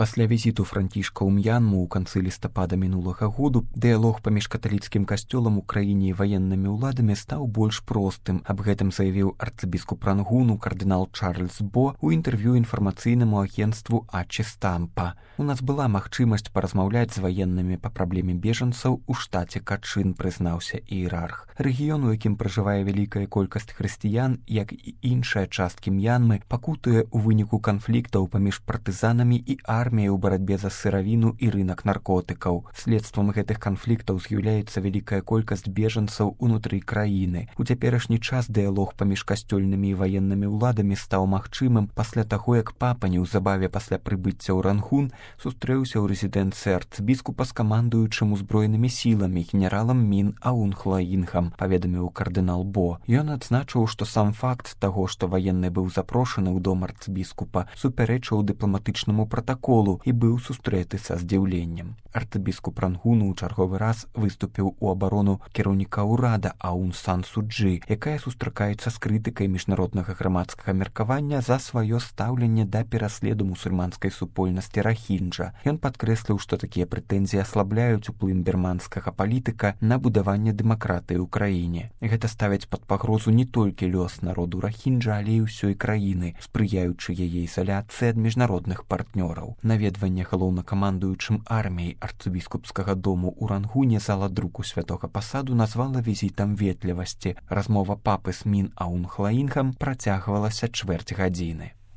Пасля візіту францішка ў М'янму ў канцы лістапада мінулага году дыялог паміж каталіцкім касцёлам у краіне і ваеннымі ўладамі стаў больш простым. Аб гэтым заявіў арцыбіскуп Рангуну кардынал Чарльз Бо ў інтэрв'ю інфармацыйнаму агенцтву Ачі Стампа. У нас была магчымасць паразмаўляць з ваеннымі па праблеме бежанцаў у штаце Качын, прызнаўся іерарх. Рэгіён, у якім пражывае вялікая колькасць хрысціян, як і іншыя часткі М'янмы, пакутуе ў выніку канфліктаў паміж партызанамі і арміяй у барацьбе за сыравіну і рынак наркотыкаў. Следствам гэтых канфліктаў з'яўляецца вялікая колькасць бежанцаў унутры краіны. У цяперашні час дыялог паміж касцёльнымі і ваеннымі ўладамі стаў магчымым пасля таго, як папа неўзабаве пасля прыбыцця ў Рангун сустрэўся ў рэзідэнцыі арцыбіскупа з камандуючым узброенымі сіламі генералам Мін Аун Хлаінгам, паведаміў кардынал Бо. Ён адзначыў, што сам факт таго, што ваенны быў запрошаны ў дом арцыбіскупа, супярэчыў дыпламатычнаму пратаколу і быў сустрэты са здзіўленнем. Арцыбіскуп Рангуну ў чарговы раз выступіў у абарону кіраўніка ўрада Аун Сан Суджы, якая сустракаецца з крытыкай міжнароднага грамадскага меркавання за сваё стаўленне да пераследу мусульманскай супольнасці Рахінджа. Ён падкрэсліў, што такія прэтэнзіі аслабляюць уплыў бірманскага палітыка на будаванне дэмакратыі ў краіне. Гэта ставіць пад пагрозу не толькі лёс народу Рахінджа, але і ўсёй краіны, спрыяючы яе ізаляцыі ад міжнародных партнёраў. Наведванне галоўнакамандуючым арміяй арцыбіскупскага дому ў Рангуне зала друку святога пасаду назвала візітам ветлівасці. Размова папы з Мін Аун Хлаінгам працягвалася чвэрць гадзіны.